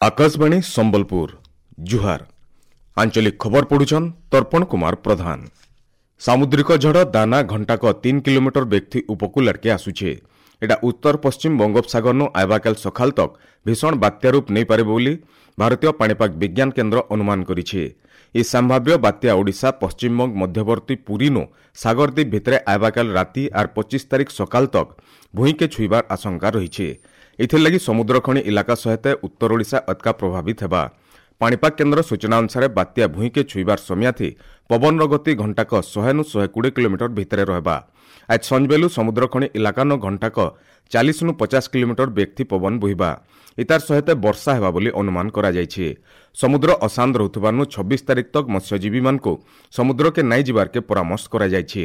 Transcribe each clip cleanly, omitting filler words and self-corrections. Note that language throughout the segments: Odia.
ଆକାଶବାଣୀ ସମ୍ବଲପୁର, ଜୁହାର। ଆଞ୍ଚଳିକ ଖବର ପଢୁଛନ୍ ତର୍ପଣ କୁମାର ପ୍ରଧାନ। ସାମୁଦ୍ରିକ ଝଡ଼ ଦାନା ଘଣ୍ଟାକ 3 କିଲୋମିଟର ବେଗଥି ଉପକୂଳ ଆଡ଼କେ ଆସୁଛେ। ଏଟା ଉତ୍ତର ପଶ୍ଚିମ ବଙ୍ଗୋପସାଗରନୁ ଆଇବାକାଲ ସକାଳ ତକ୍ ଭୀଷଣ ବାତ୍ୟା ରୂପ ନେଇପାରେ ବୋଲି ଭାରତୀୟ ପାଣିପାଗ ବିଜ୍ଞାନ କେନ୍ଦ୍ର ଅନୁମାନ କରିছে। এই ସମ୍ଭାବ୍ୟ ବାତ୍ୟା ଓଡ଼ିଶା ପଶ୍ଚିମବଙ୍ଗ ମଧ୍ୟବର୍ତ୍ତୀ ପୁରୀନୁ ସାଗରଦ୍ୱୀପ ଭିତରେ ଆଇବାକାଲ ରାତି ଆର୍ 25 ତାରିଖ ସକାଳ ତକ୍ ଭୂଇଁକେ ଛୁଇବାର ଆଶଙ୍କା ରହିছে। ଏଥିର୍ଲାଗି ସମୁଦ୍ରଖଣି ଇଲାକା ସହିତ ଉତ୍ତର ଓଡ଼ିଶା ଅତ୍କା ପ୍ରଭାବିତ ହେବା। ପାଣିପାଗ କେନ୍ଦ୍ର ସୂଚନା ଅନୁସାରେ ବାତ୍ୟା ଭୂଇଁକେ ଛୁଇବାର ସମିଆଥି ପବନର ଗତି ଘଣ୍ଟାକ 100ନୁ 120 କିଲୋମିଟର ଭିତରେ ରହିବା। ଆଜ ସଞ୍ଜବେଲୁ ସମୁଦ୍ରଖଣି ଇଲାକାନ ଘଣ୍ଟାକ 40ନୁ 50 କିଲୋମିଟର ବେଗଥି ପବନ ବୋହିବା। ଇତାର ସହିତ ବର୍ଷା ହେବା ବୋଲି ଅନୁମାନ କରାଯାଇଛି। ସମୁଦ୍ର ଅଶାନ୍ତ ରହୁଥିବାରୁ 26 ତାରିଖ ତକ୍ ମତ୍ସ୍ୟଜୀବୀମାନଙ୍କୁ ସମୁଦ୍ରକେ ନାଇଁ ଯିବାର୍କେ ପରାମର୍ଶ କରାଯାଇଛି।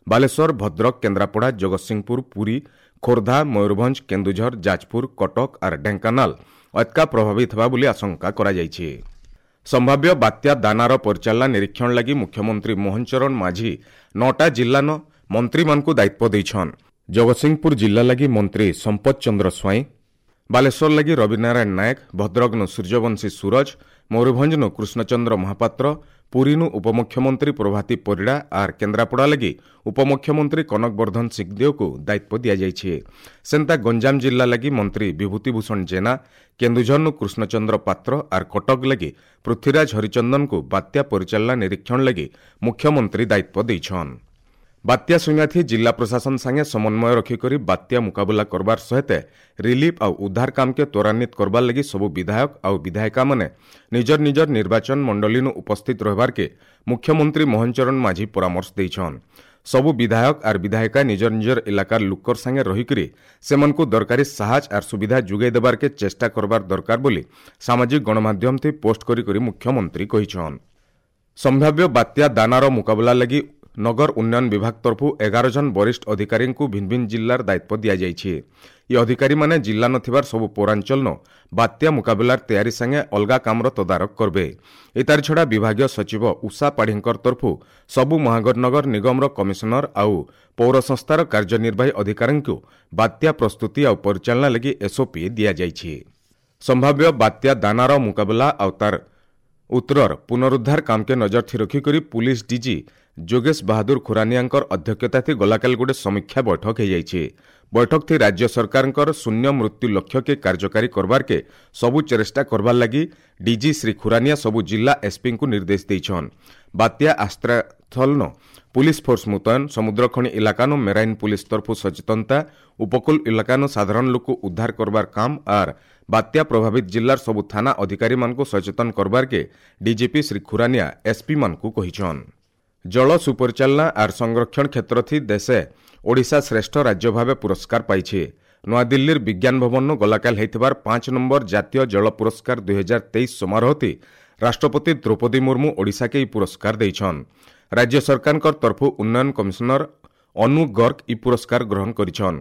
ବାଲେଶ୍ୱର, ଭଦ୍ରକ, କେନ୍ଦ୍ରାପଡ଼ା, ଜଗତସିଂହପୁର, ପୁରୀ, ଖୋର୍ଦ୍ଧା, ମୟୂରଭଞ୍ଜ, କେନ୍ଦୁଝର, ଯାଜପୁର, କଟକ ଆର୍ ଢେଙ୍କାନାଳ ଅତ୍କା ପ୍ରଭାବିତ ହେବା ବୋଲି ଆଶଙ୍କା କରାଯାଇଛି। ସମ୍ଭାବ୍ୟ ବାତ୍ୟା ଦାନାର ପରିଚାଳନା ନିରୀକ୍ଷଣ ଲାଗି ମୁଖ୍ୟମନ୍ତ୍ରୀ ମୋହନ ଚରଣ ମାଝୀ 9ଟା ଜିଲ୍ଲାନ ମନ୍ତ୍ରୀମାନଙ୍କୁ ଦାୟିତ୍ୱ ଦେଇଛନ୍। ଜଗତସିଂହପୁର ଜିଲ୍ଲା ଲାଗି ମନ୍ତ୍ରୀ ସମ୍ପଦ ଚନ୍ଦ୍ର ସ୍ୱାଇଁ, ବାଲେଶ୍ୱର ଲାଗି ରବିନାରାୟଣ ନାୟକ, ଭଦ୍ରକନୁ ସୂର୍ଯ୍ୟବଂଶୀ ସୁରଜ, ମୟୂରଭଞ୍ଜନୁ କୃଷ୍ଣଚନ୍ଦ୍ର ମହାପାତ୍ର, ପୁରୀନୁ ଉପମୁଖ୍ୟମନ୍ତ୍ରୀ ପ୍ରଭାତୀ ପରିଡ଼ା ଆର୍ କେନ୍ଦ୍ରାପଡ଼ା ଲାଗି ଉପମୁଖ୍ୟମନ୍ତ୍ରୀ କନକ ବର୍ଦ୍ଧନ ସିଂଦେଓକୁ ଦାୟିତ୍ୱ ଦିଆଯାଇଛି। ସେନ୍ତା ଗଞ୍ଜାମ ଜିଲ୍ଲା ଲାଗି ମନ୍ତ୍ରୀ ବିଭୂତିଭୂଷଣ ଜେନା, କେନ୍ଦୁଝରନୁ କୃଷ୍ଣଚନ୍ଦ୍ର ପାତ୍ର ଆର୍ କଟକ ଲାଗି ପୃଥ୍ୱୀରାଜ ହରିଚନ୍ଦନଙ୍କୁ ବାତ୍ୟା ପରିଚାଳନା ନିରୀକ୍ଷଣ ଲାଗି ମୁଖ୍ୟମନ୍ତ୍ରୀ ଦାୟିତ୍ୱ ଦେଇଛନ୍। ବାତ୍ୟା ସୁଇଁଆଥି ଜିଲ୍ଲା ପ୍ରଶାସନ ସାଙ୍ଗେ ସମନ୍ୱୟ ରଖିକରି ବାତ୍ୟା ମୁକାବିଲା କରବାର ସହିତ ରିଲିଫ୍ ଆଉ ଉଦ୍ଧାର କାମକେ ତ୍ୱରାନ୍ୱିତ କରବାର ଲାଗି ସବୁ ବିଧାୟକ ଆଉ ବିଧାୟିକାମାନେ ନିଜର ନିଜର ନିର୍ବାଚନ ମଣ୍ଡଳୀନୁ ଉପସ୍ଥିତ ରହିବାର୍କେ ମୁଖ୍ୟମନ୍ତ୍ରୀ ମୋହନ ଚରଣ ମାଝୀ ପରାମର୍ଶ ଦେଇଛନ୍। ସବୁ ବିଧାୟକ ଆର୍ ବିଧାୟିକା ନିଜର ନିଜର ଇଲାକାର ଲୁକର ସାଙ୍ଗେ ରହିକରି ସେମାନଙ୍କୁ ଦରକାରୀ ସାହାଯ୍ୟ ଆର୍ ସୁବିଧା ଯୋଗାଇ ଦେବାର୍କେ ଚେଷ୍ଟା କରବାର ଦରକାର ବୋଲି ସାମାଜିକ ଗଣମାଧ୍ୟମଥି ପୋଷ୍ଟ କରି କରି ମୁଖ୍ୟମନ୍ତ୍ରୀ କହିଛନ୍। ସମ୍ଭାବ୍ୟ ବାତ୍ୟା ଦାନାର ମୁକାବିଲା ଲାଗି ନଗର ଉନ୍ନୟନ ବିଭାଗ ତରଫରୁ 11 ଜଣ ବରିଷ୍ଠ ଅଧିକାରୀଙ୍କୁ ଭିନ୍ନ ଭିନ୍ନ ଜିଲ୍ଲାର ଦାୟିତ୍ୱ ଦିଆଯାଇଛି। ଏ ଅଧିକାରୀମାନେ ଜିଲ୍ଲା ନଥିବାର ସବୁ ପୌରାଞ୍ଚଳନ ବାତ୍ୟା ମୁକାବିଲାର ତିଆରି ସାଙ୍ଗେ ଅଲଗା କାମର ତଦାରଖ କରିବେ। ଏତାର ଛଡ଼ା ବିଭାଗୀୟ ସଚିବ ଉଷା ପାଢ଼ୀଙ୍କର ତରଫରୁ ସବୁ ମହାନଗର ନିଗମର କମିଶନର ଆଉ ପୌର ସଂସ୍ଥାର କାର୍ଯ୍ୟନିର୍ବାହୀ ଅଧିକାରୀଙ୍କୁ ବାତ୍ୟା ପ୍ରସ୍ତୁତି ଆଉ ପରିଚାଳନା ଲାଗି ଏସ୍ଓପି ଦିଆଯାଇଛି। ସମ୍ଭାବ୍ୟ ବାତ୍ୟା ଦାନାର ମୁକାବିଲା ଆଉ ତାର ଉତ୍ତରର ପୁନରୁଦ୍ଧାର କାମକେ ନଜର ଥି ରଖିକରି ପୁଲିସ ଡିଜି ଯୋଗେଶ ବାହାଦୁର ଖୁରାନିଆଙ୍କର ଅଧ୍ୟକ୍ଷତାଥି ଗଲାକାଲି ଗୋଟେ ସମୀକ୍ଷା ବୈଠକ ହୋଇଯାଇଛି। ବୈଠକଥି ରାଜ୍ୟ ସରକାରଙ୍କର ଶୂନ୍ୟ ମୃତ୍ୟୁ ଲକ୍ଷ୍ୟକେ କାର୍ଯ୍ୟକାରୀ କରବାର୍କେ ସବୁ ଚେଷ୍ଟା କରବାର୍ ଲାଗି ଡିଜି ଶ୍ରୀ ଖୁରାନିଆ ସବୁ ଜିଲ୍ଲା ଏସ୍ପିଙ୍କୁ ନିର୍ଦ୍ଦେଶ ଦେଇଛନ୍। ବାତ୍ୟା ଆଶ୍ରୟସ୍ଥଳନ ପୁଲିସ ଫୋର୍ସ ମୁତୟନ, ସମୁଦ୍ରଖଣି ଇଲାକାନୁ ମେରାଇନ୍ ପୁଲିସ ତରଫୁ ସଚେତନତା, ଉପକୂଳ ଇଲାକାନୁ ସାଧାରଣ ଲୋକ ଉଦ୍ଧାର କରବାର କାମ ଆର୍ ବାତ୍ୟା ପ୍ରଭାବିତ ଜିଲ୍ଲାର ସବୁ ଥାନା ଅଧିକାରୀମାନଙ୍କୁ ସଚେତନ କରବାର୍କେ ଡିଜିପି ଶ୍ରୀ ଖୁରାନିଆ ଏସ୍ପିମାନଙ୍କୁ କହିଛନ୍। ଜଳ ସୁପରିଚାଳନା ଆର୍ ସଂରକ୍ଷଣ କ୍ଷେତ୍ରଥି ଦେଶେ ଓଡ଼ିଶା ଶ୍ରେଷ୍ଠ ରାଜ୍ୟ ଭାବେ ପୁରସ୍କାର ପାଇছে। ନୂଆଦିଲ୍ଲୀର ବିଜ୍ଞାନ ଭବନରୁ ଗଲାକାଲ ହେଇଥିବାର 5 ନମ୍ବର ଜାତୀୟ ଜଳ ପୁରସ୍କାର 2023 ସମାରୋହତି ରାଷ୍ଟ୍ରପତି ଦ୍ରୌପଦୀ ମୁର୍ମୁ ଓଡ଼ିଶାକେ ଏହି ପୁରସ୍କାର ଦେଇଛନ୍। ରାଜ୍ୟ ସରକାରଙ୍କ ତରଫରୁ ଉନ୍ନୟନ କମିଶନର ଅନୁ ଗର୍ଗ ଇ ପୁରସ୍କାର ଗ୍ରହଣ କରିଛନ୍।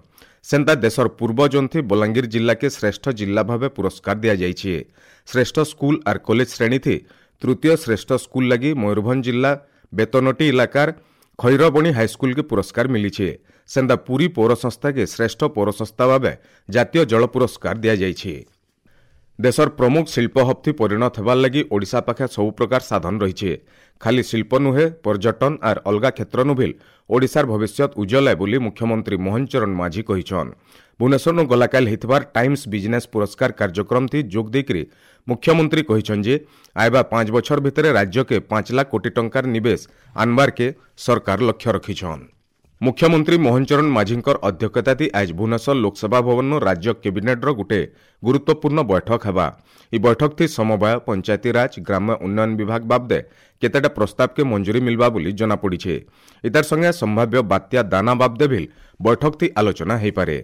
ସେନ୍ତା ଦେଶର ପୂର୍ବ ଜୋନ୍ଥି ବଲାଙ୍ଗୀର ଜିଲ୍ଲାକେ ଶ୍ରେଷ୍ଠ ଜିଲ୍ଲା ଭାବେ ପୁରସ୍କାର ଦିଆଯାଇଛି। ଶ୍ରେଷ୍ଠ ସ୍କୁଲ ଆର୍ କଲେଜ ଶ୍ରେଣୀଥି ତୃତୀୟ ଶ୍ରେଷ୍ଠ ସ୍କୁଲ ଲାଗି ମୟୂରଭଞ୍ଜ ଜିଲ୍ଲା ବେତନଟି ଇଲାକାର ଖୈରବଣୀ ହାଇସ୍କୁଲକେ ପୁରସ୍କାର ମିଳିছে। ସେନ୍ତା ପୁରୀ ପୌର ସଂସ୍ଥାକେ ଶ୍ରେଷ୍ଠ ପୌର ସଂସ୍ଥା ଭାବେ ଜାତୀୟ ଜଳ ପୁରସ୍କାର ଦିଆଯାଇଛି। ଦେଶର ପ୍ରମୁଖ ଶିଳ୍ପ ହବ୍ଥି ପରିଣତ ହେବାର ଲାଗି ଓଡ଼ିଶା ପାଖେ ସବୁ ପ୍ରକାର ସାଧନ ରହିছে। ଖାଲି ଶିଳ୍ପ ନୁହେଁ, ପର୍ଯ୍ୟଟନ ଆର୍ ଅଲଗା କ୍ଷେତ୍ରନୁ ଭିଲ୍ ଓଡ଼ିଶାର ଭବିଷ୍ୟତ ଉଜ୍ଜଳ ବୋଲି ମୁଖ୍ୟମନ୍ତ୍ରୀ ମୋହନ ଚରଣ ମାଝୀ କହିଛନ୍। ଭୁବନେଶ୍ୱରନୁ ଗଲାକାଲି ହେଇଥିବାର ଟାଇମ୍ସ ବିଜନେସ୍ ପୁରସ୍କାର କାର୍ଯ୍ୟକ୍ରମଥି ଯୋଗ ଦେଇକରି ମୁଖ୍ୟମନ୍ତ୍ରୀ କହିଛନ୍ ଯେ ଆଇବା 5 ବଛର ଭିତରେ ରାଜ୍ୟକେ 5 ଲାଖ କୋଟି ଟଙ୍କାର ନିବେଶ ଆନବାର୍କେ ସରକାର ଲକ୍ଷ୍ୟ ରଖିଛନ୍। ମୁଖ୍ୟମନ୍ତ୍ରୀ ମୋହନ ଚରଣ ମାଝୀଙ୍କର ଅଧ୍ୟକ୍ଷତାଥି ଆଜ ଭୁବନେଶ୍ୱର ଲୋକସଭା ଭବନରୁ ରାଜ୍ୟ କ୍ୟାବିନେଟ୍ର ଗୋଟେ ଗୁରୁତ୍ୱପୂର୍ଣ୍ଣ ବୈଠକ ହେବା। ଏହି ବୈଠକଥି ସମବାୟ, ପଞ୍ଚାୟତିରାଜ, ଗ୍ରାମ୍ୟ ଉନ୍ନୟନ ବିଭାଗ ବାବଦେ କେତେଟା ପ୍ରସ୍ତାବକେ ମଞ୍ଜୁରୀ ମିଲବା ବୋଲି ଜଣାପଡ଼ିছে। ଇତାର ସଙ୍ଗେ ସମ୍ଭାବ୍ୟ ବାତ୍ୟା ଦାନା ବାବଦେ ଭିଲ୍ ବୈଠକଥି ଆଲୋଚନା ହୋଇପାରେ।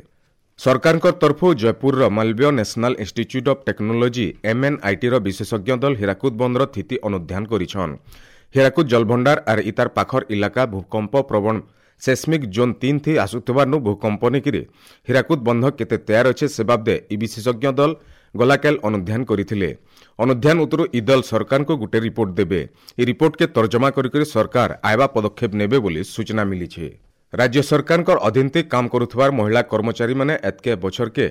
ସରକାରଙ୍କ ତରଫରୁ ଜୟପୁରର Malviya national institute of technology ଏମ୍ଏନ୍ଆଇଟିର ବିଶେଷଜ୍ଞ ଦଳ ହୀରାକୁଦ ବନ୍ଦର ସ୍ଥିତି ଅନୁଧ୍ୟାନ କରିଛନ୍। ହୀରାକୁଦ ଜଳଭଣ୍ଡାର ଆର୍ ଇତାର ପାଖର ଇଲାକା ଭୂକମ୍ପ ପ୍ରବଣ ସେସ୍ମିକ୍ ଜୋନ୍ 3 ଥି ଆସୁଥିବାରୁ ଭୂକମ୍ପ ନେଇକିରି ହୀରାକୁଦ ବନ୍ଧ କେତେ ତୟାର ଅଛେ ସେ ବାବଦେ ଇ ବିଶେଷଜ୍ଞ ଦଳ ଗଲାକାଲ ଅନୁଧ୍ୟାନ କରିଥିଲେ। ଅନୁଧ୍ୟାନ ଉତ୍ତରୁ ଇ ଦଳ ସରକାରଙ୍କୁ ଗୋଟେ ରିପୋର୍ଟ ଦେବେ। ଏ ରିପୋର୍ଟକେ ତର୍ଜମା କରିକରି ସରକାର ଆଇବା ପଦକ୍ଷେପ ନେବେ ବୋଲି ସୂଚନା ମିଳିছে। ରାଜ୍ୟ ସରକାରଙ୍କର ଅଧୀନଥି କାମ କରୁଥିବାର ମହିଳା କର୍ମଚାରୀମାନେ ଏତ୍କେ ବଛରକେ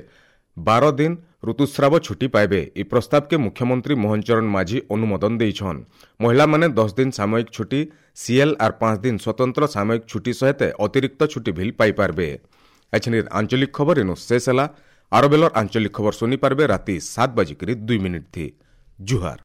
12 ଦିନ ଋତୁସ୍ରାବ ଛୁଟି ପାଇବେ। ଇ ପ୍ରସ୍ତାବକେ ମୁଖ୍ୟମନ୍ତ୍ରୀ ମୋହନ ଚରଣ ମାଝୀ ଅନୁମୋଦନ ଦେଇଛନ୍। ମହିଳାମାନେ 10 ଦିନ ସାମୟିକ ଛୁଟି, ସିଏଲ୍ ଆର୍ 5 ଦିନ ସ୍ୱତନ୍ତ୍ର ସାମୟିକ ଛୁଟି ସହିତ ଅତିରିକ୍ତ ଛୁଟି ଭିଲ୍ ପାଇପାରବେ। ଏଛିନିର ଆଞ୍ଚଳିକ ଖବର ଏନୁ ଶେଷ ହେଲା। ଆର ବେଲର ଆଞ୍ଚଳିକ ଖବର ଶୁଣିପାରବେ ରାତି 7:02 ଥି। ଜୁହାର।